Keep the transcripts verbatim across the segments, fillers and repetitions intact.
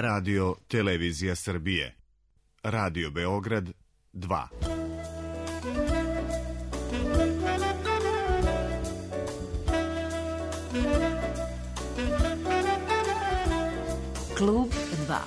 Radio Televizija Srbije. Radio Beograd dva. Klub dva.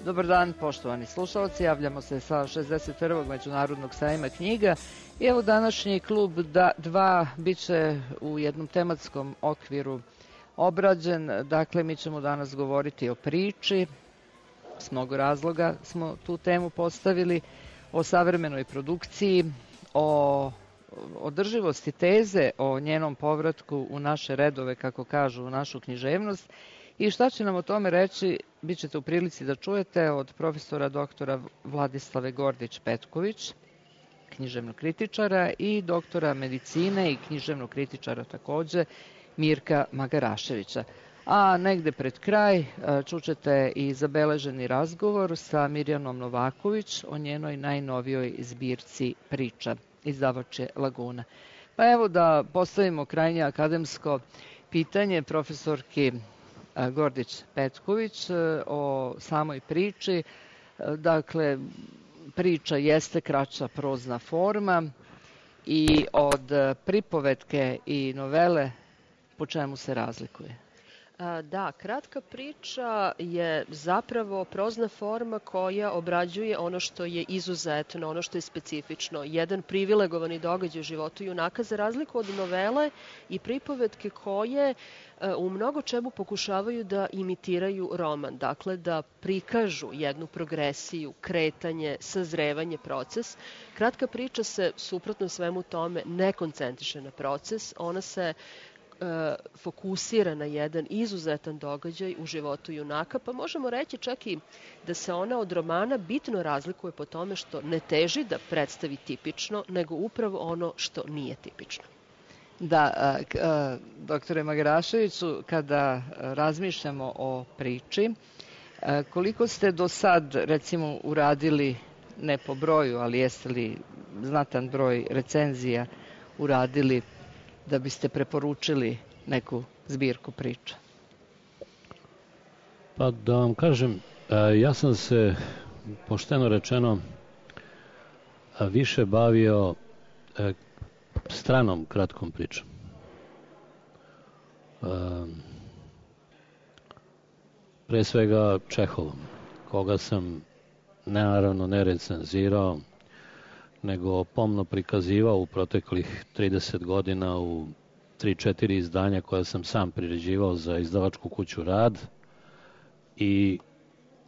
Dobar dan, poštovani slušalci, javljamo se sa šezdeset prvog Međunarodnog sajma knjiga i evo današnji klub dva bit će u jednom tematskom okviru obrađen. Dakle, mi ćemo danas govoriti o priči, s mnogo razloga smo tu temu postavili, o savremenoj produkciji, o održivosti teze, o njenom povratku u naše redove, kako kažu, u našu književnost. I šta će nam o tome reći, bit ćete u prilici da čujete od profesora doktora Vladislave Gordić-Petković, književnog kritičara, i doktora medicine i književnog kritičara takođe, Mirka Magaraševića. A negde pred kraj čućete i zabeleženi razgovor sa Mirjanom Novaković o njenoj najnovijoj zbirci priča, izdavač je Laguna. Pa evo da postavimo krajnje akademsko pitanje profesorki Gordić-Petković o samoj priči. Dakle, priča jeste kraća prozna forma i od pripovetke i novele po čemu se razlikuje? Da, kratka priča je zapravo prozna forma koja obrađuje ono što je izuzetno, ono što je specifično. Jedan privilegovani događaj u životu junaka, za razliku od novele i pripovetke koje u mnogo čemu pokušavaju da imitiraju roman. Dakle, da prikažu jednu progresiju, kretanje, sazrevanje, proces. Kratka priča se, suprotno svemu tome, ne koncentriše na proces. Ona se fokusira na jedan izuzetan događaj u životu junaka, pa možemo reći čak i da se ona od romana bitno razlikuje po tome što ne teži da predstavi tipično, nego upravo ono što nije tipično. Da, doktore Magaraševiću, kada razmišljamo o priči, koliko ste do sad, recimo, uradili, ne po broju, ali jeste li znatan broj recenzija uradili da biste preporučili neku zbirku priča? Pa da vam kažem, ja sam se, pošteno rečeno, više bavio stranom kratkom pričom. Pre svega Čehovom, koga sam naravno ne recenzirao, nego pomno prikazivao u proteklih trideset godina u tri četiri izdanja koja sam sam priređivao za izdavačku kuću Rad, i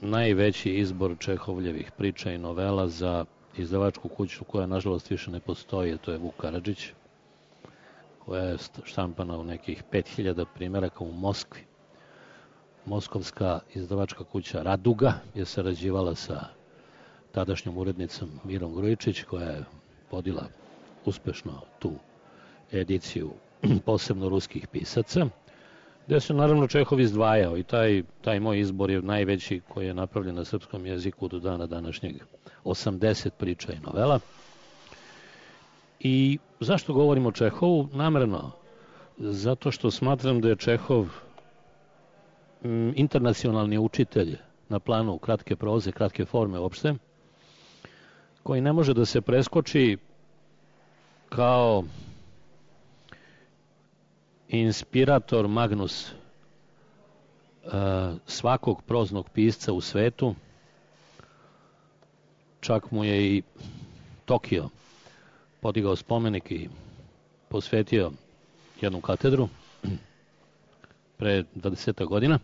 najveći izbor Čehovljevih priča i novela za izdavačku kuću koja nažalost više ne postoji, to je Vuk Karadžić, koja je štampana u nekih pet hiljada primjeraka u Moskvi. Moskovska izdavačka kuća Raduga je sarađivala sa tadašnjom urednicom Mirom Grujičić, koja je vodila uspešno tu ediciju posebno ruskih pisaca, gde se naravno Čehov izdvajao, i taj, taj moj izbor je najveći koji je napravljen na srpskom jeziku do dana današnjeg, osamdeset priča i novela. I zašto govorim o Čehovu? Namerno, zato što smatram da je Čehov m, internacionalni učitelj na planu kratke proze, kratke forme uopšte, koji ne može da se preskoči kao inspirator magnus uh, svakog proznog pisca u svetu. Čak mu je i Tokio podigao spomenik i posvetio jednu katedru pre dvadeset godina.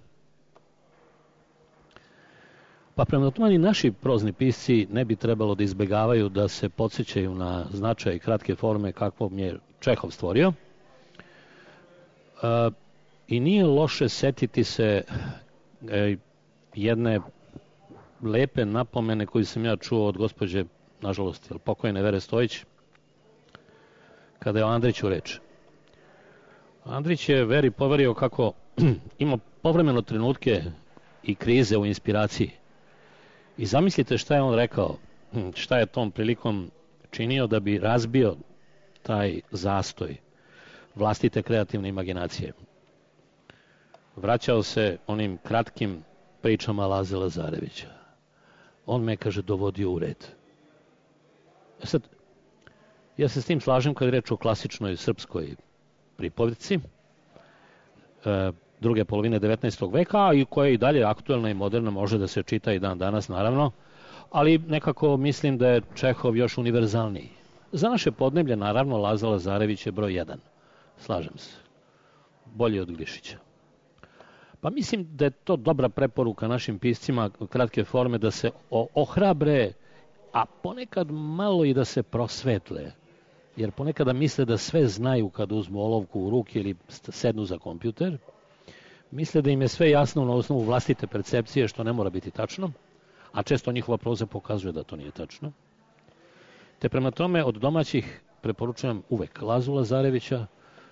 Pa prema tome ni naši prozni pisci ne bi trebalo da izbegavaju da se podsjećaju na značaj kratke forme kakvom je Čehov stvorio. E, I nije loše setiti se e, jedne lepe napomene koju sam ja čuo od gospođe, nažalost, pokojne Vere Stojić, kada je o Andriću reč. Andrić je Veri poverio kako ima povremeno trenutke i krize u inspiraciji. I zamislite šta je on rekao, šta je tom prilikom činio da bi razbio taj zastoj vlastite kreativne imaginacije. Vraćao se onim kratkim pričama Laze Lazarevića. On me, kaže, dovodio u red. E sad, ja se s tim slažem kad je reč o klasičnoj srpskoj pripovetci e, druge polovine devetnaestog veka, i koja je i dalje aktuelna i moderna, može da se čita i dan danas, naravno, ali nekako mislim da je Čehov još univerzalniji. Za naše podneblje, naravno, Laza Lazarević je broj jedan. Slažem se. Bolji od Glišića. Pa mislim da je to dobra preporuka našim piscima kratke forme da se ohrabre, a ponekad malo i da se prosvetle. Jer ponekada misle da sve znaju kad uzmu olovku u ruke ili sednu za kompjuter. Misle da im je sve jasno na osnovu vlastite percepcije, što ne mora biti tačno, a često njihova proza pokazuje da to nije tačno. Te prema tome od domaćih preporučujem uvek Lazu Lazarevića,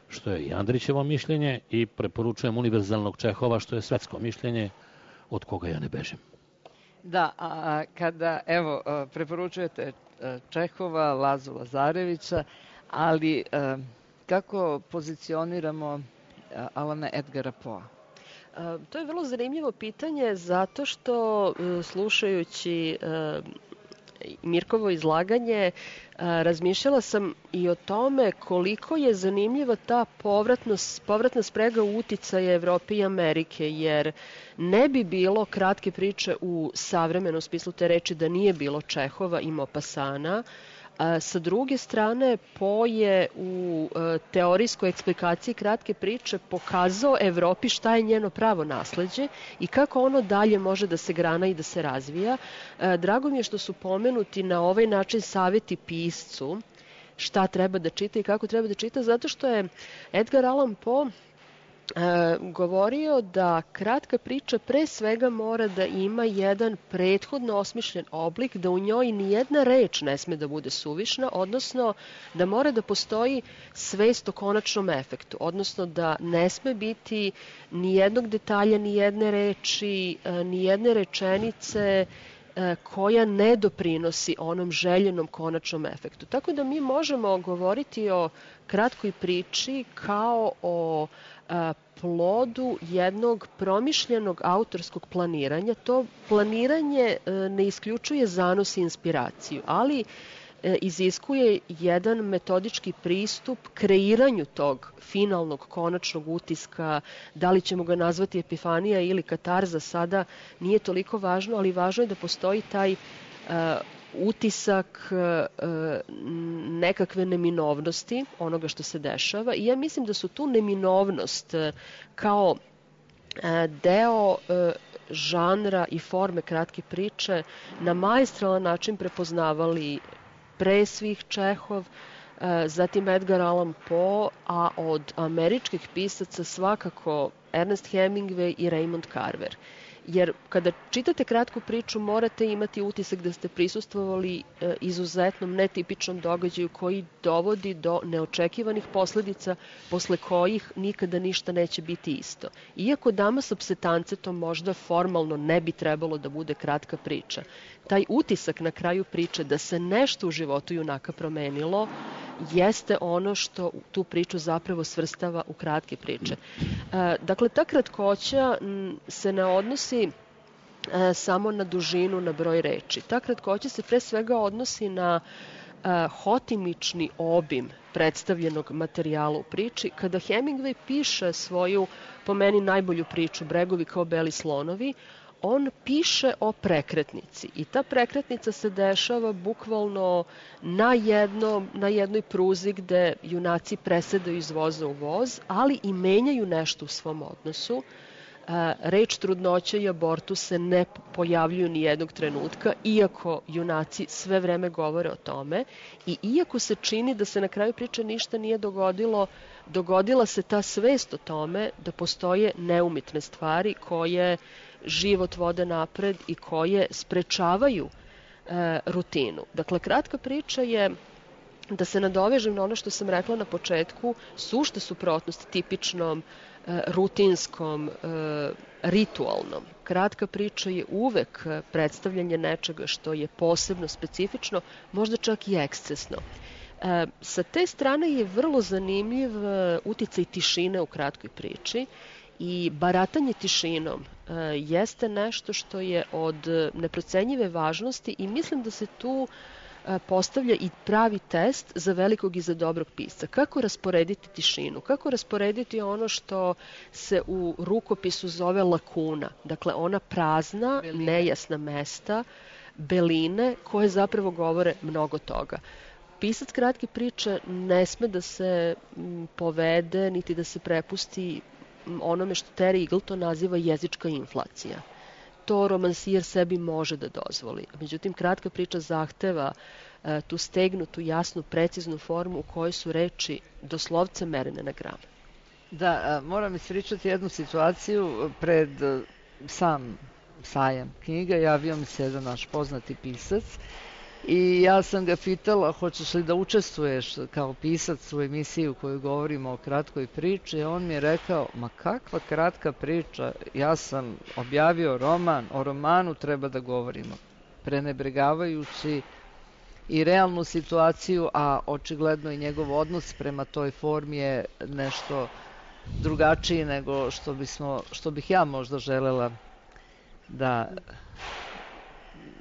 što je i Andrićevo mišljenje, i preporučujem univerzalnog Čehova, što je svetsko mišljenje, od koga ja ne bežim. Da, a kada, evo, preporučujete Čehova, Lazu Lazarevića, ali kako pozicioniramo Alana Edgara Poa? To je vrlo zanimljivo pitanje, zato što slušajući Mirkovo izlaganje, razmišljala sam i o tome koliko je zanimljiva ta povratna sprega uticaja Evrope i Amerike, jer ne bi bilo kratke priče u savremenom smislu te reči da nije bilo Čehova i Maupassana. Sa druge strane, Po je u teorijskoj eksplikaciji kratke priče pokazao Evropi šta je njeno pravo nasleđe i kako ono dalje može da se grana i da se razvija. Drago mi je što su pomenuti na ovaj način savjeti piscu šta treba da čita i kako treba da čita, zato što je Edgar Allan Poe E, govorio da kratka priča pre svega mora da ima jedan prethodno osmišljen oblik, da u njoj nijedna reč ne sme da bude suvišna, odnosno da mora da postoji svest o konačnom efektu, odnosno da ne sme biti nijednog detalja, nijedne reči, nijedne rečenice koja ne doprinosi onom željenom konačnom efektu. Tako da mi možemo govoriti o kratkoj priči kao o plodu jednog promišljenog autorskog planiranja. To planiranje ne isključuje zanos i inspiraciju, ali iziskuje jedan metodički pristup kreiranju tog finalnog, konačnog utiska. Da li ćemo ga nazvati epifanija ili katarza, sada nije toliko važno, ali važno je da postoji taj uh, utisak uh, nekakve neminovnosti onoga što se dešava. I ja mislim da su tu neminovnost uh, kao uh, deo uh, žanra i forme kratke priče na maestralan način prepoznavali pre svih Čehov, zatim Edgar Allan Poe, a od američkih pisaca svakako Ernest Hemingway i Raymond Carver. Jer kada čitate kratku priču morate imati utisak da ste prisustvovali izuzetnom netipičnom događaju koji dovodi do neočekivanih posledica posle kojih nikada ništa neće biti isto. Iako Dama sa psetancetom možda formalno ne bi trebalo da bude kratka priča, taj utisak na kraju priče da se nešto u životu junaka promenilo jeste ono što tu priču zapravo svrstava u kratke priče. Dakle, ta kratkoća se ne odnosi samo na dužinu, na broj reči. Ta kratkoća se pre svega odnosi na hotimični obim predstavljenog materijala u priči. Kada Hemingway piše svoju, po meni, najbolju priču Bregovi kao beli slonovi, on piše o prekretnici i ta prekretnica se dešava bukvalno na, jedno, na jednoj pruzi gde junaci presedaju iz voza u voz, ali i menjaju nešto u svom odnosu. Reč trudnoća i abortus se ne pojavljuju ni jednog trenutka, iako junaci sve vreme govore o tome i iako se čini da se na kraju priče ništa nije dogodilo, dogodila se ta svest o tome da postoje neumitne stvari koje život vode napred i koje sprečavaju e, rutinu. Dakle, kratka priča je, da se nadovežem na ono što sam rekla na početku, sušta suprotnost tipičnom, e, rutinskom, e, ritualnom. Kratka priča je uvek predstavljanje nečega što je posebno, specifično, možda čak i ekscesno. E, sa te strane je vrlo zanimljiv uticaj tišine u kratkoj priči i baratanje tišinom e, jeste nešto što je od neprocenjive važnosti i mislim da se tu postavlja i pravi test za velikog i za dobrog pisca. Kako rasporediti tišinu? Kako rasporediti ono što se u rukopisu zove lakuna? Dakle, ona prazna, beline, nejasna mesta, beline koje zapravo govore mnogo toga. Pisac kratke priče ne sme da se povede niti da se prepusti onome što Terry Eagleton naziva jezička inflacija. To romansijer sebi može da dozvoli. Međutim, kratka priča zahteva e, tu stegnutu, jasnu, preciznu formu u kojoj su reči doslovce merene na gram. Da, a, moram ispričati jednu situaciju. Pred a, sam sajam knjiga javio mi se jedan naš poznati pisac i ja sam ga pitala hoćeš li da učestvuješ kao pisac u emisiji u kojoj govorimo o kratkoj priči i on mi je rekao, ma kakva kratka priča, ja sam objavio roman, o romanu treba da govorimo, prenebregavajući i realnu situaciju, a očigledno i njegov odnos prema toj formi je nešto drugačiji nego što bismo, što bih ja možda želela da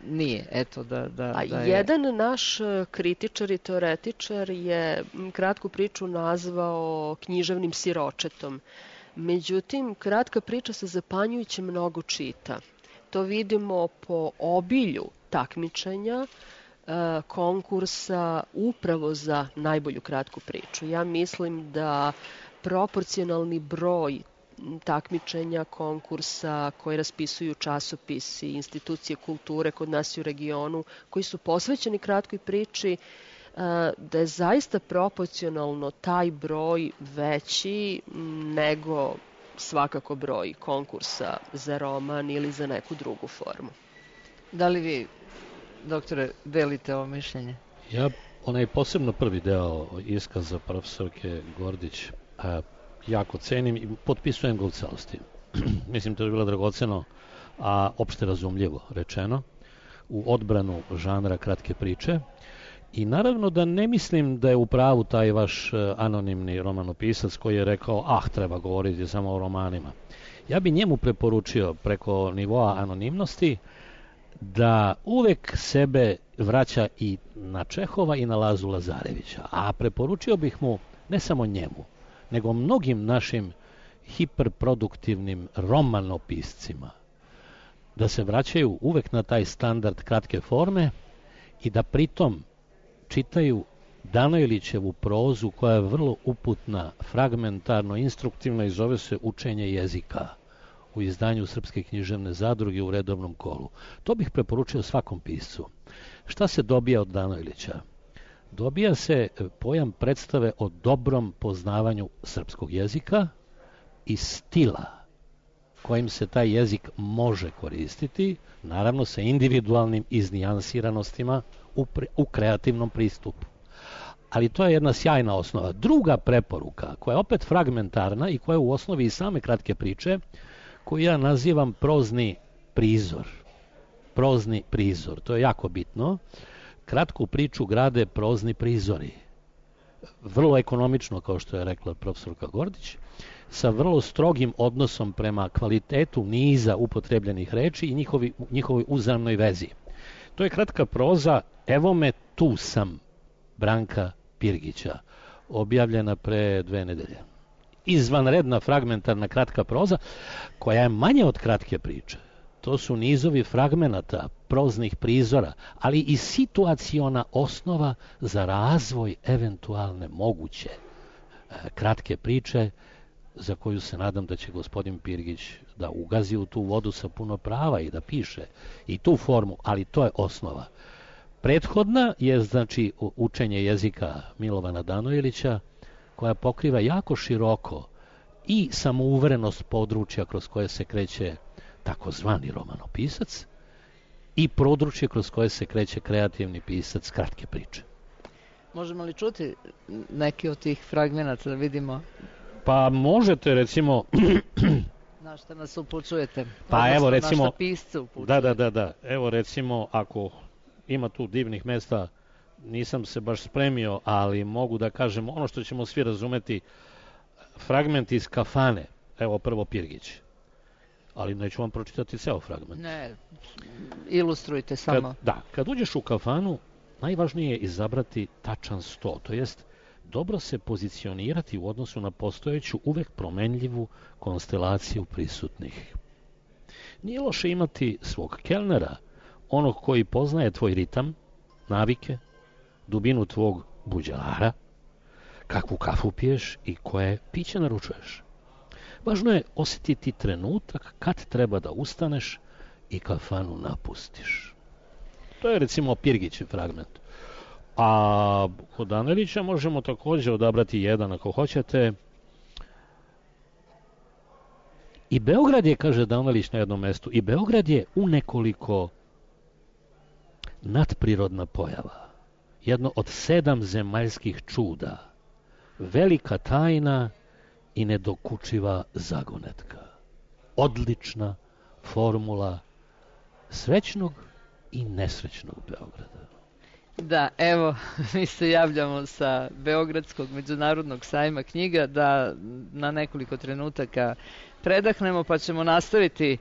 nije, eto da, da, A da je... jedan naš kritičar i teoretičar je kratku priču nazvao književnim siročetom. Međutim, kratka priča se zapanjujuće mnogo čita. To vidimo po obilju takmičenja, konkursa upravo za najbolju kratku priču. Ja mislim da proporcionalni broj takmičenja, konkursa koje raspisuju časopisi, institucije kulture kod nas u regionu, koji su posvećeni kratkoj priči, da je zaista proporcionalno taj broj veći nego svakako broj konkursa za roman ili za neku drugu formu. Da li vi, doktore, delite ovo mišljenje? Ja, onaj posebno prvi deo iskaza profesorke Gordić, a, jako cenim i potpisujem ga u celosti. Mislim, to je bilo dragoceno, a opšte razumljivo rečeno, u odbranu žanra kratke priče. I naravno da ne mislim da je u pravu taj vaš anonimni romanopisac koji je rekao, ah, treba govoriti samo o romanima. Ja bi njemu preporučio preko nivoa anonimnosti da uvek sebe vraća i na Čehova i na Lazu Lazarevića. A preporučio bih mu ne samo njemu, nego mnogim našim hiperproduktivnim romanopiscima da se vraćaju uvek na taj standard kratke forme i da pritom čitaju Danojlićevu prozu koja je vrlo uputna, fragmentarno, instruktivna i zove se Učenje jezika u izdanju Srpske književne zadruge u redovnom kolu. To bih preporučio svakom piscu. Šta se dobija od Danojlića? Dobija se pojam predstave o dobrom poznavanju srpskog jezika i stila kojim se taj jezik može koristiti, naravno sa individualnim iznijansiranostima u, pre, u kreativnom pristupu. Ali to je jedna sjajna osnova. Druga preporuka, koja je opet fragmentarna i koja je u osnovi i same kratke priče, koju ja nazivam prozni prizor. Prozni prizor, to je jako bitno. Kratku priču grade prozni prizori. Vrlo ekonomično, kao što je rekla profesorka Gordić, sa vrlo strogim odnosom prema kvalitetu niza upotrebljenih reči i njihovi, njihovoj uzajamnoj vezi. To je kratka proza Evo me, tu sam, Branka Pirgića, objavljena pre dve nedelje. Izvanredna fragmentarna kratka proza, koja je manje od kratke priče. To su nizovi fragmenata, proznih prizora, ali i situaciona osnova za razvoj eventualne moguće kratke priče, za koju se nadam da će gospodin Pirgić da ugazi u tu vodu sa puno prava i da piše i tu formu, ali to je osnova. Prethodna je, znači, Učenje jezika Milovana Danojlića, koja pokriva jako široko i samouverenost područja kroz koje se kreće takozvani romanopisac, i područje kroz koje se kreće kreativni pisac kratke priče. Možemo li čuti neki od tih fragmenata da vidimo? Pa možete, recimo... Na šta nas upućujete? Pa odnosno, evo, recimo... Na šta pisce upućujete? Da, da, da, da. Evo, recimo, ako ima tu divnih mesta, nisam se baš spremio, ali mogu da kažem ono što ćemo svi razumeti, fragment iz Kafane. Evo, prvo Pirgić. Ali neću vam pročitati ceo fragment. Ne, ilustrujte samo. Kad, da, kad uđeš u kafanu, najvažnije je izabrati tačan sto, to jest dobro se pozicionirati u odnosu na postojeću, uvek promenljivu konstelaciju prisutnih. Nije loše imati svog kelnera, onog koji poznaje tvoj ritam, navike, dubinu tvog buđelara, kakvu kafu piješ i koje piće naručuješ. Važno je osjetiti trenutak kad treba da ustaneš i kafanu napustiš. To je recimo Pirgićev fragment. A kod Anelića možemo također odabrati jedan ako hoćete. I Beograd je, kaže Danelić na jednom mestu, i Beograd je u nekoliko nadprirodna pojava. Jedno od sedam zemaljskih čuda. Velika tajna i nedokučiva zagonetka. Odlična formula srećnog i nesrećnog Beograda. Da, evo, mi se javljamo sa Beogradskog međunarodnog sajma knjiga da na nekoliko trenutaka predahnemo, pa ćemo nastaviti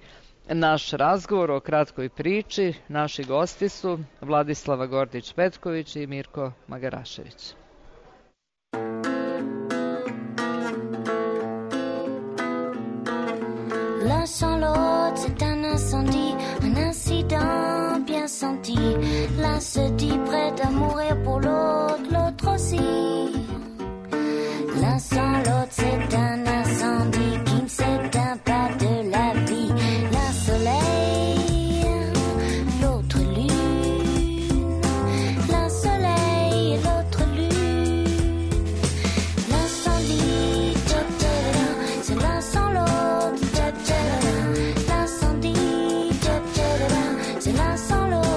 naš razgovor o kratkoj priči. Naši gosti su Vladislava Gordić-Petković i Mirko Magarašević. L'un sans l'autre, c'est un incendie, un incident bien senti. L'un se dit prêt à mourir pour l'autre, l'autre aussi. L'un sans l'autre, c'est un incendie qui ne s'éteint pas de la vie. L'un soleil, l'autre lune. L'un soleil et l'autre lune. L'incendie, c'est l'un sans l'autre. C'est l'un sans l'autre.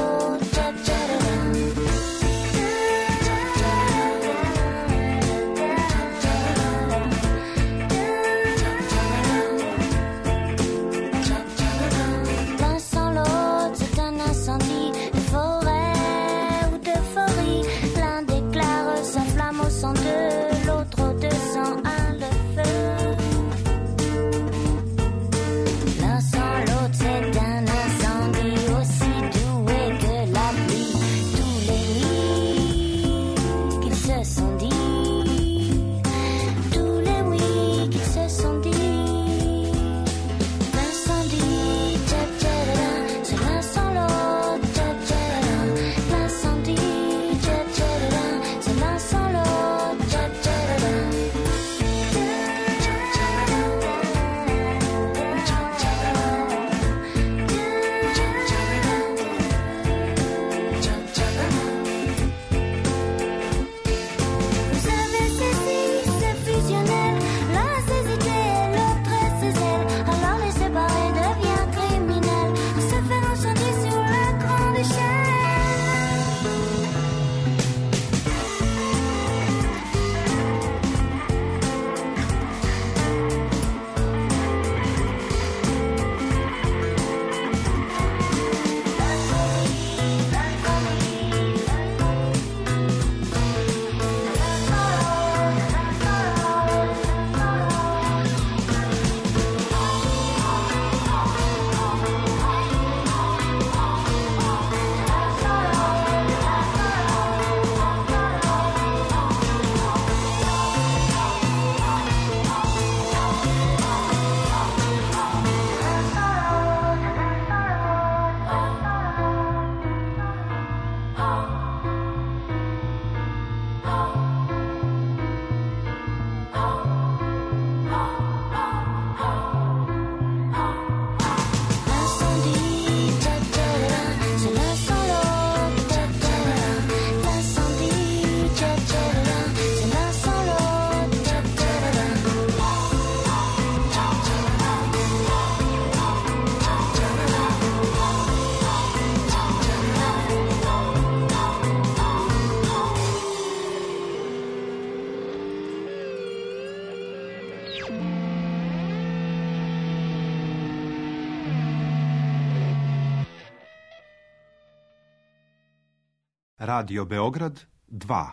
Radio Beograd dva.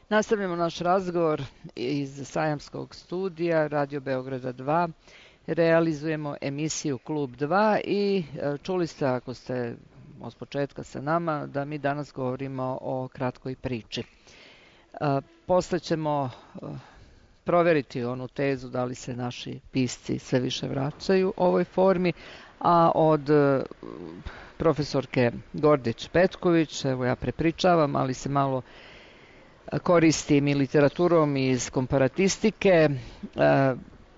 Nastavljamo naš razgovor iz sajamskog studija Radio Beograda dva. Realizujemo emisiju Klub dva i čuli ste, ako ste od početka sa nama, da mi danas govorimo o kratkoj priči. Posle ćemo proveriti onu tezu da li se naši pisci sve više vraćaju ovoj formi, a od profesorke Gordić-Petković, evo ja prepričavam, ali se malo koristim i literaturom iz komparatistike.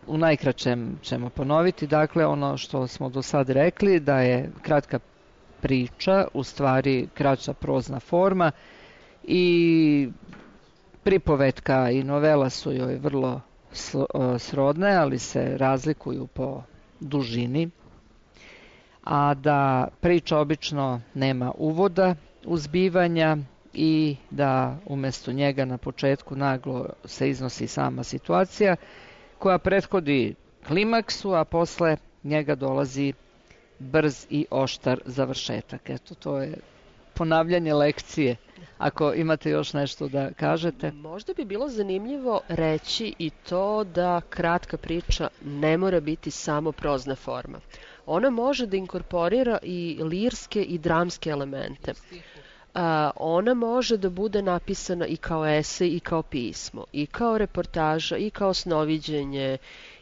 U najkraćem ćemo ponoviti, dakle, ono što smo do sad rekli, da je kratka priča u stvari kraća prozna forma i pripovetka i novela su joj vrlo srodne, ali se razlikuju po dužini, a da priča obično nema uvoda, uzbivanja i da umjesto njega na početku naglo se iznosi sama situacija koja prethodi klimaksu, a posle njega dolazi brz i oštar završetak. Eto, to je ponavljanje lekcije. Ako imate još nešto da kažete. Možda bi bilo zanimljivo reći i to da kratka priča ne mora biti samo prozna forma. Ona može da inkorporira i lirske i dramske elemente. A, ona može da bude napisana i kao esej i kao pismo, i kao reportaža, i kao snoviđenje,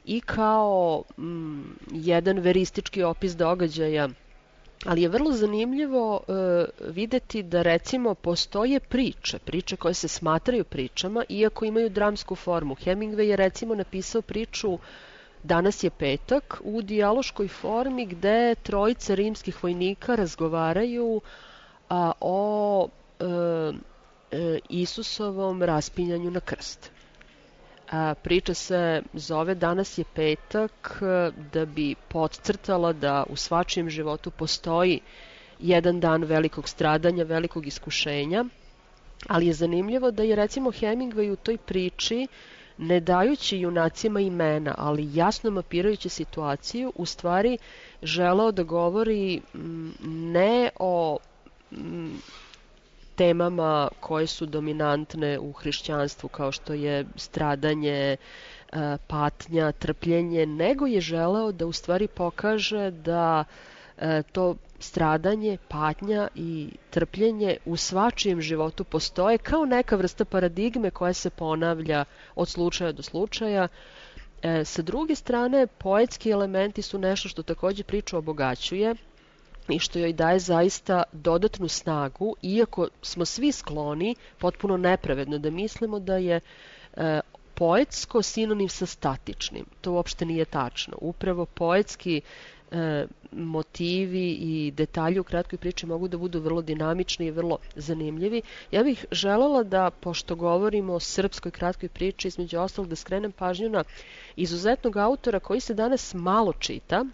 i kao mm, jedan veristički opis događaja. Ali je vrlo zanimljivo e, videti da recimo postoje priče, priče koje se smatraju pričama, iako imaju dramsku formu. Hemingway je recimo napisao priču Danas je petak u dijaloškoj formi gde trojica rimskih vojnika razgovaraju a, o e, e, Isusovom raspinjanju na krst. A, priča se zove Danas je petak da bi podcrtala da u svačijem životu postoji jedan dan velikog stradanja, velikog iskušenja, ali je zanimljivo da je recimo Hemingway u toj priči, ne dajući junacima imena, ali jasno mapirajući situaciju, u stvari želeo da govori m, ne o m, temama koje su dominantne u hrišćanstvu, kao što je stradanje, patnja, trpljenje, nego je želeo da u stvari pokaže da to stradanje, patnja i trpljenje u svačijem životu postoje kao neka vrsta paradigme koja se ponavlja od slučaja do slučaja. E, sa druge strane, poetski elementi su nešto što također priču obogaćuje i što joj daje zaista dodatnu snagu, iako smo svi skloni, potpuno nepravedno, da mislimo da je e, poetsko sinonim sa statičnim. To uopšte nije tačno. Upravo poetski e, motivi i detalji u kratkoj priči mogu da budu vrlo dinamični i vrlo zanimljivi. Ja bih želela da, pošto govorimo o srpskoj kratkoj priči, između ostalog da skrenem pažnju na izuzetnog autora koji se danas malo čita,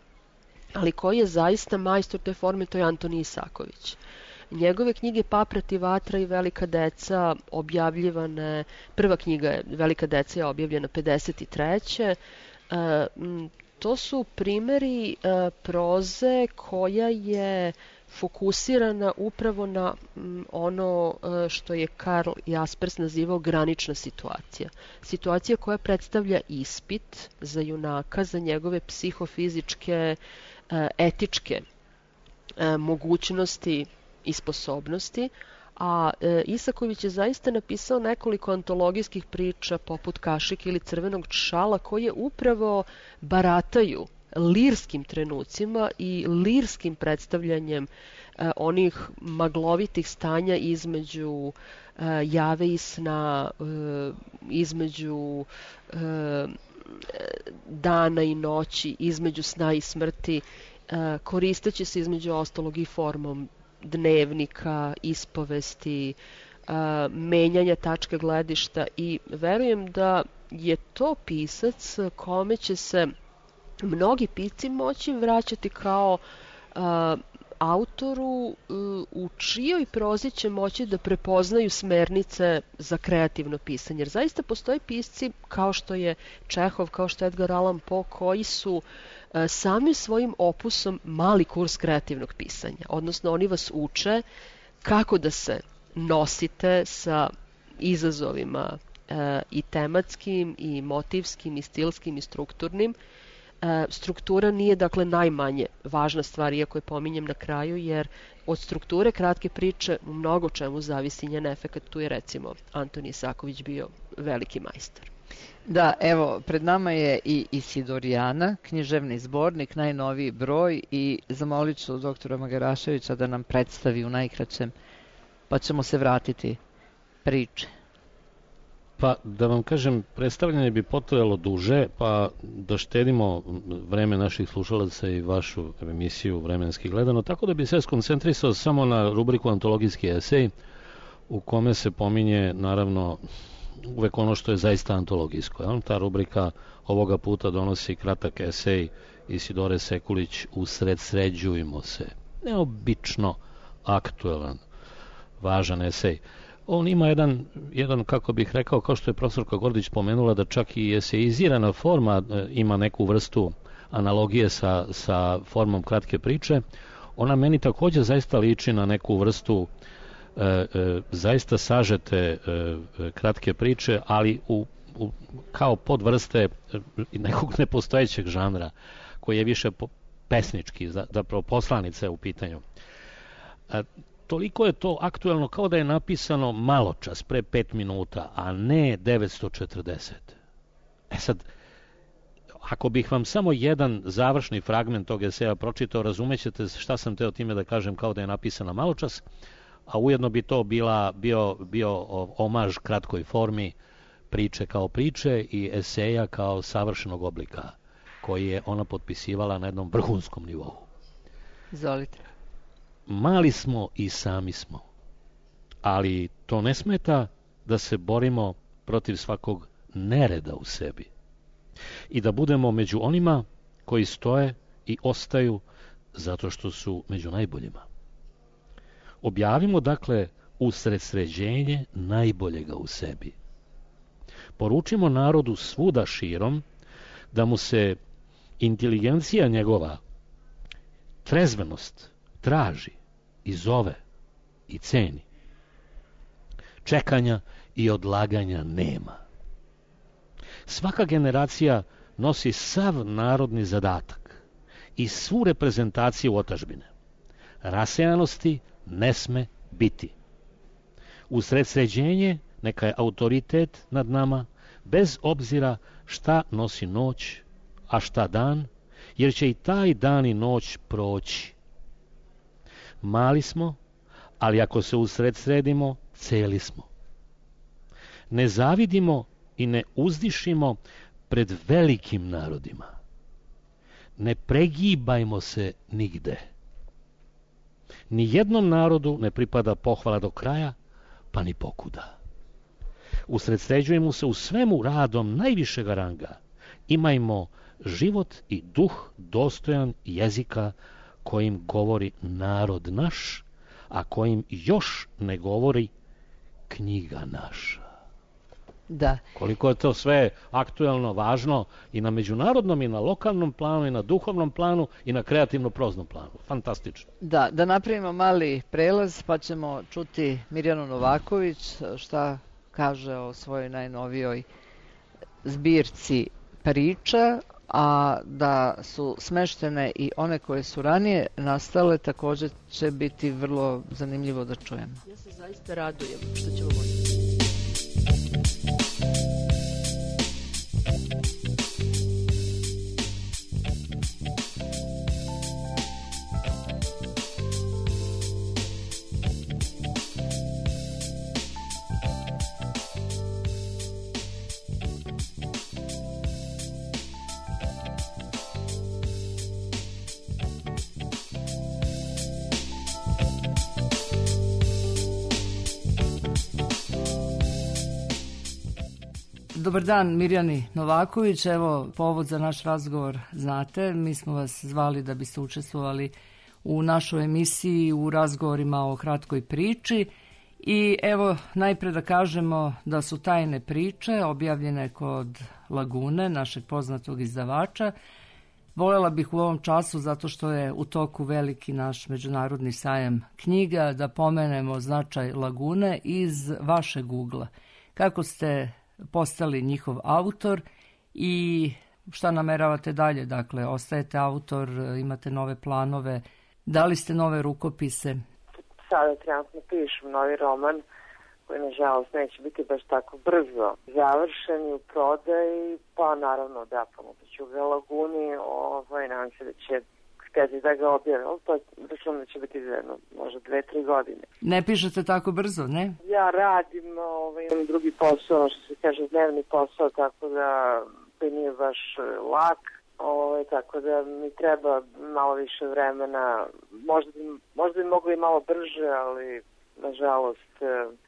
ali koji je zaista majstor te forme, to je Antonij Isaković. Njegove knjige Paprat i vatra i Velika deca objavljivane, prva knjiga je Velika deca je objavljena pedeset treće. E, to su primeri e, proze koja je fokusirana upravo na m, ono e, što je Karl Jaspers nazivao granična situacija. Situacija koja predstavlja ispit za junaka, za njegove psihofizičke, e, etičke e, mogućnosti i sposobnosti, a e, Isaković je zaista napisao nekoliko antologijskih priča poput Kašike ili Crvenog šala koje upravo barataju lirskim trenucima i lirskim predstavljanjem e, onih maglovitih stanja između e, jave i sna, e, između e, dana i noći, između sna i smrti, e, koristeći se između ostalog i formom dnevnika, ispovesti, a, menjanja tačke gledišta i verujem da je to pisac kome će se mnogi pisci moći vraćati kao a, autoru a, u čijoj prozi će moći da prepoznaju smernice za kreativno pisanje. Jer zaista postoje pisci kao što je Čehov, kao što je Edgar Allan Poe, koji su samim svojim opusom mali kurs kreativnog pisanja. Odnosno, oni vas uče kako da se nosite sa izazovima e, i tematskim, i motivskim, i stilskim, i strukturnim. E, struktura nije dakle najmanje važna stvar, iako je pominjem na kraju, jer od strukture kratke priče u mnogo čemu zavisi njen efekat. Tu je recimo Antonije Isaković bio veliki majstor. Da, evo, pred nama je i Isidorijana, književni zbornik, najnoviji broj, i zamolit ću doktora Magaraševića da nam predstavi u najkraćem, pa ćemo se vratiti priče. Pa, da vam kažem, predstavljanje bi potrajalo duže, pa da štedimo vreme naših slušalaca i vašu emisiju vremenski gledano, tako da bi se skoncentrisao samo na rubriku Antologijski esej, u kome se pominje, naravno, uvek ono što je zaista antologijsko. Ja? Ta rubrika ovoga puta donosi kratak esej Isidore Sekulić Usred sređujmo se. Neobično aktuelan, važan esej. On ima jedan, jedan, kako bih rekao, kao što je profesorka Gordić pomenula, da čak i esejizirana forma e, ima neku vrstu analogije sa, sa formom kratke priče. Ona meni također zaista liči na neku vrstu e, e, zaista sažete e, kratke priče, ali u, u, kao podvrste nekog nepostojećeg žanra, koji je više po, pesnički, zapravo poslanica je u pitanju. E, Toliko je to aktuelno kao da je napisano maločas, pre pet minuta, a ne devetsto četrdeset. E sad, ako bih vam samo jedan završni fragment tog eseja pročitao, razumećete šta sam teo time da kažem kao da je napisana maločas, a ujedno bi to bila, bio, bio omaž kratkoj formi priče kao priče i eseja kao savršenog oblika, koji je ona potpisivala na jednom vrhunskom nivou. Izvolite. Mali smo i sami smo, ali to ne smeta da se borimo protiv svakog nereda u sebi i da budemo među onima koji stoje i ostaju zato što su među najboljima. Objavimo dakle usred sređenje najboljega u sebi. Poručimo narodu svuda širom da mu se inteligencija njegova, trezvenost, traži i zove i ceni. Čekanja i odlaganja nema. Svaka generacija nosi sav narodni zadatak i svu reprezentaciju otadžbine. Rasejanosti ne sme biti. Usred sređenje neka je autoritet nad nama, bez obzira šta nosi noć, a šta dan, jer će i taj dan i noć proći. Mali smo, ali ako se usred sredimo, celi smo. Ne zavidimo i ne uzdišimo pred velikim narodima. Ne pregibajmo se nigde. Ni jednom narodu ne pripada pohvala do kraja, pa ni pokuda. Usredsređujemo se u svemu radom najvišeg ranga. Imajmo život i duh dostojan jezika kojim govori narod naš, a kojim još ne govori knjiga naša. Da. Koliko je to sve aktuelno, važno i na međunarodnom i na lokalnom planu i na duhovnom planu i na kreativno-proznom planu. Fantastično. Da, da napravimo mali prelaz pa ćemo čuti Mirjanu Novaković šta kaže o svojoj najnovijoj zbirci priča, a da su smeštene i one koje su ranije nastale također će biti vrlo zanimljivo da čujemo. Ja se zaista radujem što ćemo moći. Dobar dan Mirjani Novaković, evo povod za naš razgovor znate, mi smo vas zvali da biste učestvovali u našoj emisiji u razgovorima o kratkoj priči i evo najpre da kažemo da su tajne priče objavljene kod Lagune, našeg poznatog izdavača, Volela bih u ovom času, zato što je u toku veliki naš međunarodni sajam knjiga, da pomenemo značaj Lagune iz vašeg ugla. Kako ste postali njihov autor i šta nameravate dalje? Dakle, ostajete autor, imate nove planove, dali ste nove rukopise? Sada trenutno pišem novi roman koji nažalost neće biti baš tako brzo završen i u prodaji, pa naravno da pomoću ga Laguni, ovaj, nadam se da će htjeti da ga objave, ali to računam da će biti za jedno, možda dve, tri godine. Ne pišete tako brzo, ne? Ja radim, ovaj, imam drugi posao, što se kaže dnevni posao, tako da to nije baš lak, ovaj, tako da mi treba malo više vremena, možda bi, možda bi moglo i malo brže, ali nažalost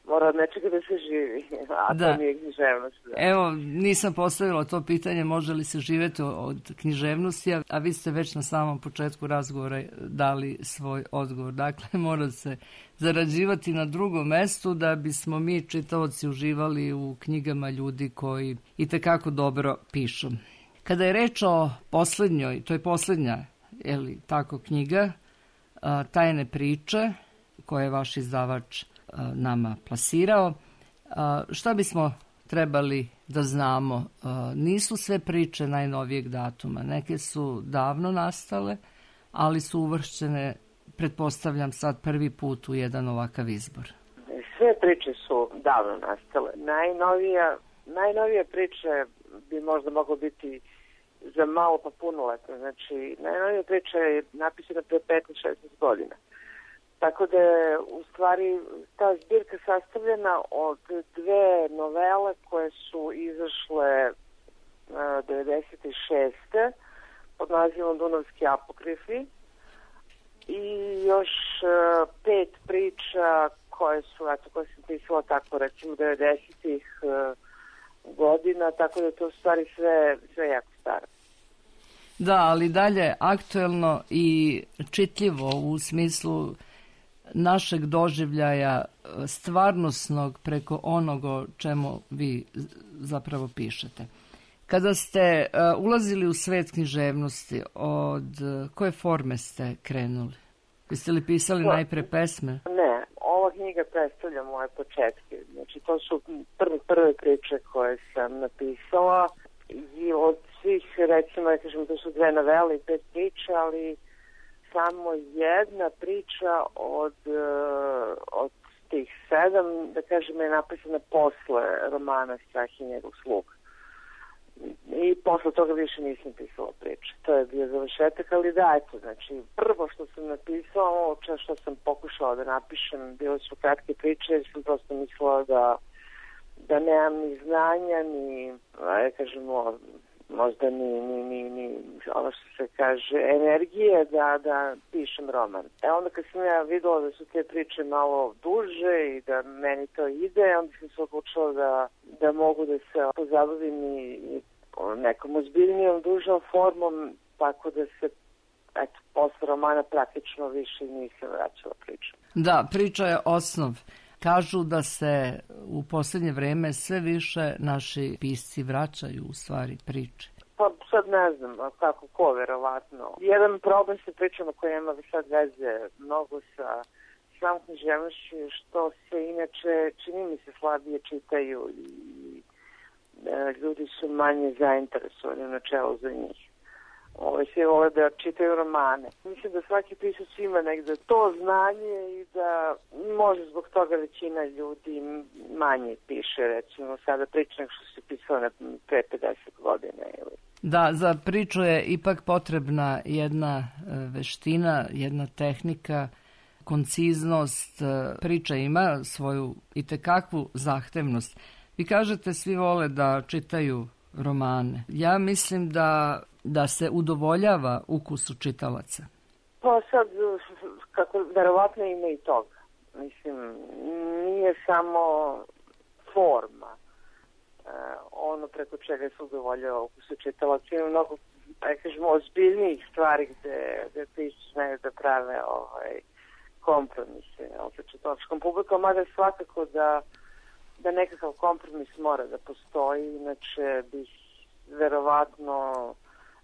mora od nečega da se živi, a da. To nije književnost. Da. Evo, nisam postavila to pitanje može li se živjeti od književnosti, a vi ste već na samom početku razgovora dali svoj odgovor. Dakle, mora se zarađivati na drugom mestu da bismo mi čitaoci uživali u knjigama ljudi koji itekako dobro pišu. Kada je reč o posljednjoj, to je posljednja, je li tako, knjiga, Tajne priče, koje je vaš izdavač nama plasirao. Šta bismo trebali da znamo? Nisu sve priče najnovijeg datuma. Neke su davno nastale, ali su uvršćene, pretpostavljam, sad prvi put u jedan ovakav izbor. Sve priče su davno nastale. Najnovija, najnovija priča bi možda moglo biti za malo pa punoletno. Znači, najnovija priča je napisana pre petnaest šesnaest godina. Tako da je u stvari ta zbirka sastavljena od dve novele koje su izašle uh, devedeset šeste pod nazivom Dunavski apokrifi i još uh, pet priča koje su, eto, koje sam pisala tako recimo devedesetih uh, godina, tako da je to u stvari sve, sve jako staro. Da, ali dalje aktuelno i čitljivo u smislu našeg doživljaja stvarnosnog preko onoga čemu vi zapravo pišete. Kada ste uh, ulazili u svet književnosti, od uh, koje forme ste krenuli? Jeste li pisali no, najpre pesme? Ne, ova knjiga predstavlja moje početke. Znači, to su prve, prve priče koje sam napisala i od svih, recimo, ja kažem, to su dve novele i pet priča, ali samo jedna priča od, od tih sedam, da kažem, je napisana posle romana Strah i njegov sluga. I posle toga više nisam pisala priče. To je bio završetak, ali da, eto, znači, prvo što sam napisala, ovo što sam pokušala da napišem, bile su kratke priče, jer sam prosto mislila da, da nemam ni znanja, ni, ja kažemo, možda ni, ni, ni, ni ono što se kaže, energije da, da pišem roman. E onda kad sam ja videla da su te priče malo duže i da meni to ide, onda sam se odlučila da, da mogu da se pozabavim i, i nekom ozbiljnijom, dužom formom, tako da se, eto, posle romana praktično više nisam vraćala priču. Da, priča je osnov. Kažu da se u posljednje vreme sve više naši pisci vraćaju u stvari priče. Pa sad ne znam kako ko, verovatno. Jedan problem sa pričama koje ima sad veze mnogo sa samom književnošću, što se inače čini mi se slabije čitaju i e, ljudi su manje zainteresovani u načelu za njih. Ove, svi vole da čitaju romane. Mislim da svaki pisac ima negde to znanje i da može zbog toga većina ljudi manje piše, recimo sada priče nego što se pisalo na pre pedeset godina. Ili. Da, za priču je ipak potrebna jedna veština, jedna tehnika, konciznost. Priča ima svoju itekakvu zahtevnost. Vi kažete svi vole da čitaju romane. Ja mislim da da se udovoljava ukusu čitalaca? Pa sad, kako, verovatno ima i toga. Mislim, nije samo forma e, ono preko čega se udovoljava ukusu čitalaca. Ima mnogo, da kažemo, ozbiljnijih stvari gde, gde piši znaju da prave ovaj, kompromise sa čitalačkom publikom, mada svakako da, da nekakav kompromis mora da postoji, inače bih verovatno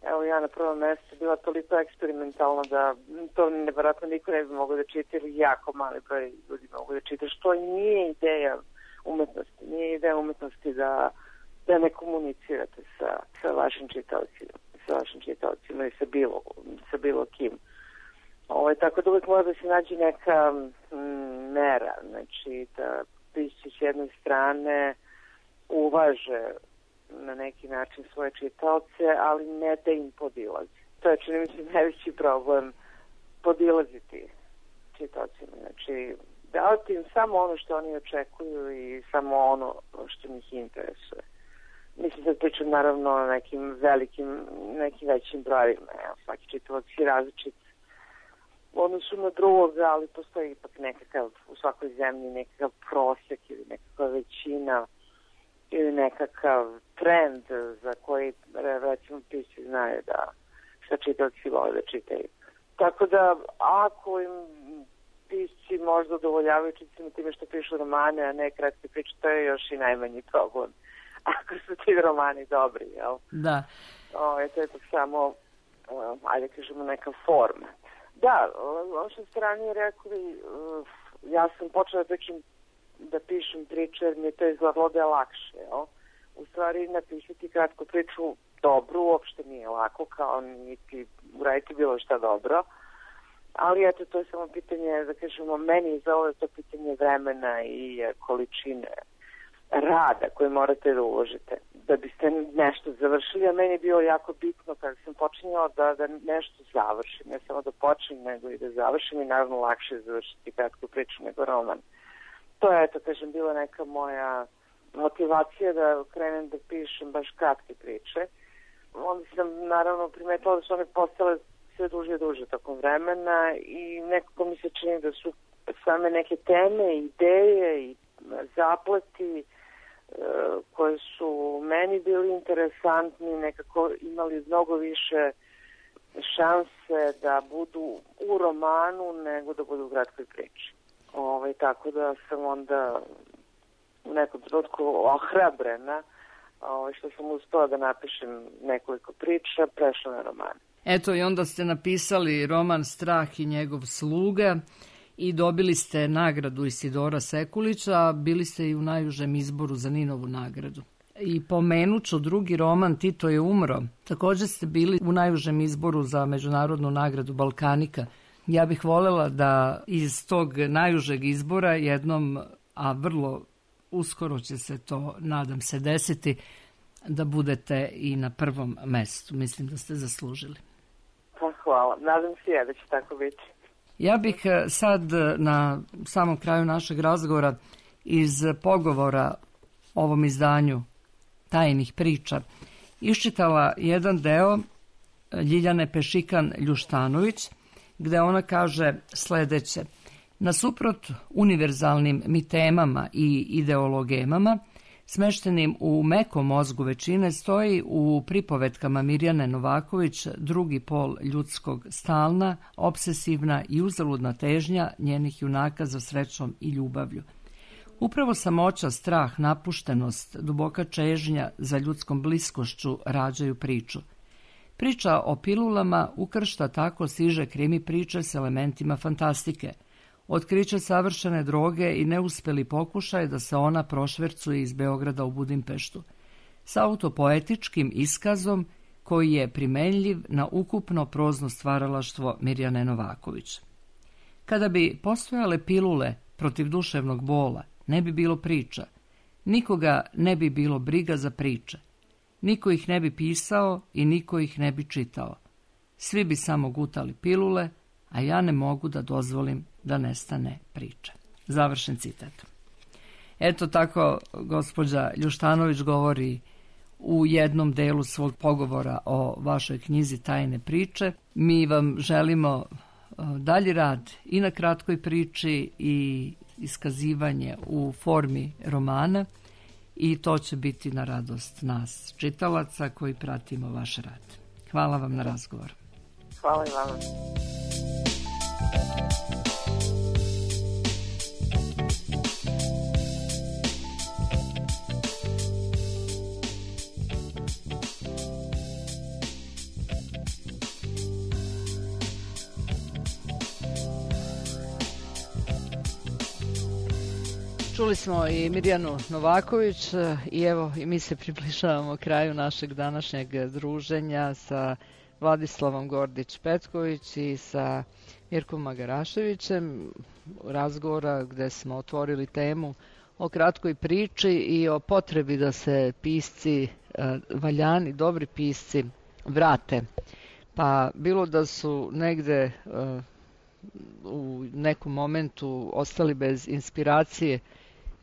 evo ja na prvom mjestu bila toliko eksperimentalna da to nevjerojatno niko ne bi mogao da čita ili jako mali broj ljudi mogu da čita, što nije ideja umetnosti. Nije ideja umetnosti da, da ne komunicirate sa, sa vašim čitaocima, sa vašim čitaocima i sa bilo, sa bilo kim. Ovo, tako da uvijek mora da se nađe neka m, mera, znači da pisci s jedne strane uvaže na neki način svoje čitaoce, ali ne da im podilazi. To je, čini mi se, najveći problem, podilaziti čitaocima. Znači, davati im samo ono što oni očekuju i samo ono što njih interesuje. Mislim da pričam naravno o nekim velikim, nekim većim brojima. Ja, svaki čitalac je različit u odnosu na drugoga, ali postoji ipak nekakav, u svakoj zemlji nekakav prosjek ili nekakva većina ili nekakav trend za koji, recimo, pisci znaju da šta čitaoci vole da čitaju. Tako da, ako im pisci možda udovoljavaju čitacima time što pišu romane, a ne kratke priče, to je još i najmanji problem. Ako su ti romani dobri, jel? Da. O, je to je samo, uh, ajde kažemo, neka forma. Da, ono što ste ranije rekli, uh, ja sam počela da pričam da pišem priče, jer mi je to izgledalo da je lakše, jel? U stvari, napisati kratku priču dobru uopšte nije lako, kao niti uraditi bilo šta dobro. Ali eto, to je samo pitanje, da kažemo, meni za ovo je to pitanje vremena i količine rada koje morate da uložite da biste nešto završili, a meni je bilo jako bitno kada sam počinjala da, da nešto završim, ne samo da počnem, nego i da završim i naravno lakše je završiti kratku priču nego roman. To je, eto, kažem, bila neka moja motivacija da krenem da pišem baš kratke priče. Onda sam naravno primetila da su one postale sve duže i duže tokom vremena i nekako mi se čini da su same neke teme, ideje i zapleti koji su meni bili interesantni, nekako imali mnogo više šanse da budu u romanu nego da budu u kratkoj priči. Ovaj, tako da sam onda u nekom trenutku ohrabrena ovaj, što sam uspela da napišem nekoliko priča, prešla na roman. Eto, i onda ste napisali roman Strah i njegov sluga i dobili ste nagradu Isidora Sekulića, a bili ste i u najužem izboru za Ninovu nagradu. I pomenuću drugi roman Tito je umro. Također ste bili u najužem izboru za međunarodnu nagradu Balkanika. Ja bih voljela da iz tog najužeg izbora jednom, a vrlo uskoro će se to, nadam se, desiti, da budete i na prvom mestu. Mislim da ste zaslužili. Pa hvala. Nadam se ja da će tako biti. Ja bih sad na samom kraju našeg razgovora iz pogovora o ovom izdanju Tajnih priča iščitala jedan deo Ljiljane Pešikan-Ljuštanović, gde ona kaže sledeće: nasuprot univerzalnim mitemama i ideologemama, smeštenim u mekom mozgu većine, stoji u pripovetkama Mirjane Novaković drugi pol ljudskog, stalna, obsesivna i uzaludna težnja njenih junaka za srećom i ljubavlju. Upravo samoća, strah, napuštenost, duboka čežnja za ljudskom bliskošću rađaju priču. Priča o pilulama ukršta tako siže krimi priče s elementima fantastike. Otkriće savršene droge i neuspeli pokušaj da se ona prošvercuje iz Beograda u Budimpeštu. S autopoetičkim iskazom koji je primenljiv na ukupno prozno stvaralaštvo Mirjane Novaković. Kada bi postojale pilule protiv duševnog bola, ne bi bilo priča. Nikoga ne bi bilo briga za priče. Niko ih ne bi pisao i niko ih ne bi čitao. Svi bi samo gutali pilule, a ja ne mogu da dozvolim da nestane priča. Završen citat. Eto tako gospođa Ljuštanović govori u jednom delu svog pogovora o vašoj knjizi Tajne priče. Mi vam želimo dalji rad i na kratkoj priči i iskazivanje u formi romana i to će biti na radost nas čitalaca koji pratimo vaš rad. Hvala vam na razgovor. Hvala i vama. Čuli smo i Mirjanu Novaković i evo i mi se približavamo kraju našeg današnjeg druženja sa Vladislavom Gordić-Petković i sa Mirkom Magaraševićem, razgovora gde smo otvorili temu o kratkoj priči i o potrebi da se pisci, valjani, dobri pisci, vrate. Pa bilo da su negde u nekom momentu ostali bez inspiracije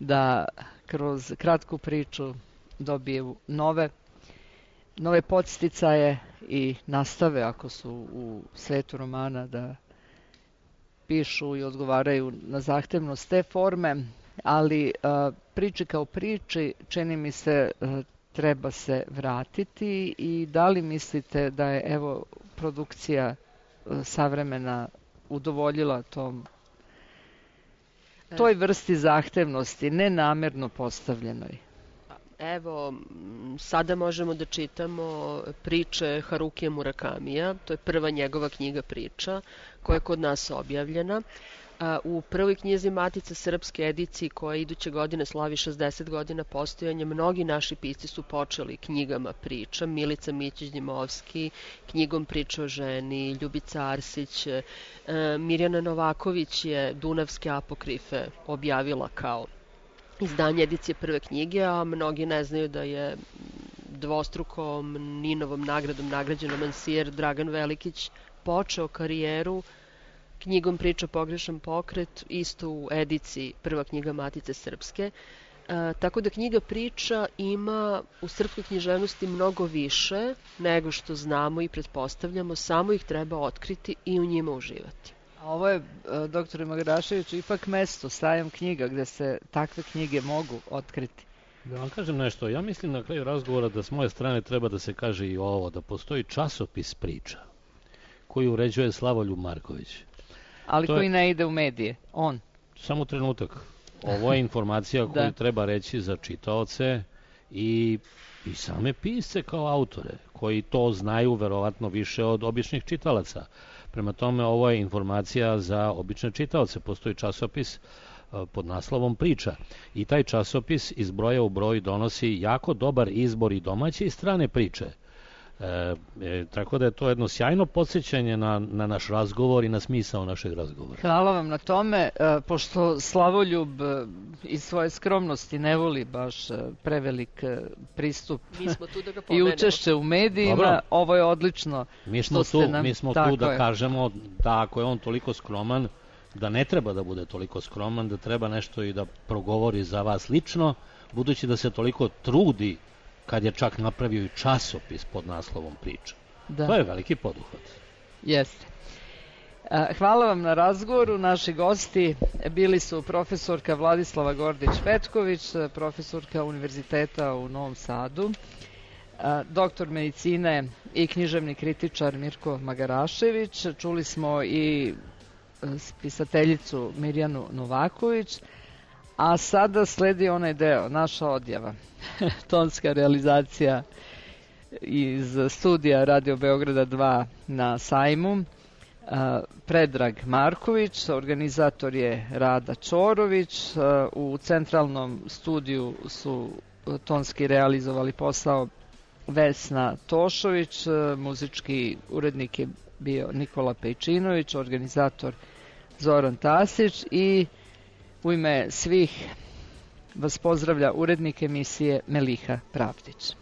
da kroz kratku priču dobiju nove, nove podsticaje i nastave, ako su u svetu romana, da pišu i odgovaraju na zahtevnost te forme, ali a, priči kao priči, čini mi se, a, treba se vratiti. I da li mislite da je evo produkcija a, savremena udovoljila tom toj vrsti zahtevnosti, nenamerno postavljenoj? Evo, sada možemo da čitamo priče Harukija Murakamija, to je prva njegova knjiga priča, koja je kod nas objavljena. U prvoj knjizi Matice srpske ediciji, koja iduće godine slavi šezdeset godina postojanja, mnogi naši pisci su počeli knjigama priča. Milica Mićić-Dimovski, knjigom Priča o ženi, Ljubica Arsić, Mirjana Novaković je Dunavske apokrife objavila kao izdanje edicije prve knjige, a mnogi ne znaju da je dvostrukom Ninovom nagradom nagrađen romansijer Dragan Velikić počeo karijeru knjigom Priča pogrešan pokret, isto u ediciji prva knjiga Matice srpske. E, tako da knjiga priča ima u srpskoj književnosti mnogo više nego što znamo i pretpostavljamo, samo ih treba otkriti i u njima uživati. A ovo je, doktore Magaraševiću, ipak mesto, sajam knjiga, gde se takve knjige mogu otkriti. Da vam kažem nešto, ja mislim na kraju razgovora da s moje strane treba da se kaže i ovo, da postoji časopis priča koji uređuje Slavoljub Marković. Ali to koji je... ne ide u medije, on. Samo trenutak. Ovo je informacija koju da. treba reći za čitaoce i, i same pisce kao autore, koji to znaju verovatno više od običnih čitalaca. Prema tome, ovo je informacija za obične čitaoce. Postoji časopis pod naslovom Priča. I taj časopis iz broja u broj donosi jako dobar izbor i domaće i strane priče. E, e, tako da je to jedno sjajno podsjećanje na, na naš razgovor i na smisao našeg razgovora. Hvala vam na tome, e, pošto Slavoljub e, iz svoje skromnosti ne voli baš e, prevelik e, pristup mi smo tu da ga i učešće u medijima. Dobro. Ovo je odlično. Mi smo što tu, nam... mi smo Tako tu da je. kažemo da ako je on toliko skroman, da ne treba da bude toliko skroman, da treba nešto i da progovori za vas lično, budući da se toliko trudi kad je čak napravio i časopis pod naslovom Priča. Da. To je veliki poduhvat. Jeste. Hvala vam na razgovoru. Naši gosti bili su profesorka Vladislava Gordić-Petković, profesorka Univerziteta u Novom Sadu, doktor medicine i književni kritičar Mirko Magarašević. Čuli smo i spisateljicu Mirjanu Novaković, a sada sledi onaj deo, naša odjava. Tonska realizacija iz studija Radio Beograda dva na sajmu. Predrag Marković, organizator je Rada Čorović. U centralnom studiju su tonski realizovali posao Vesna Tošović, muzički urednik je bio Nikola Pejčinović, organizator Zoran Tasić i u ime svih vas pozdravlja urednik emisije Meliha Pravdić.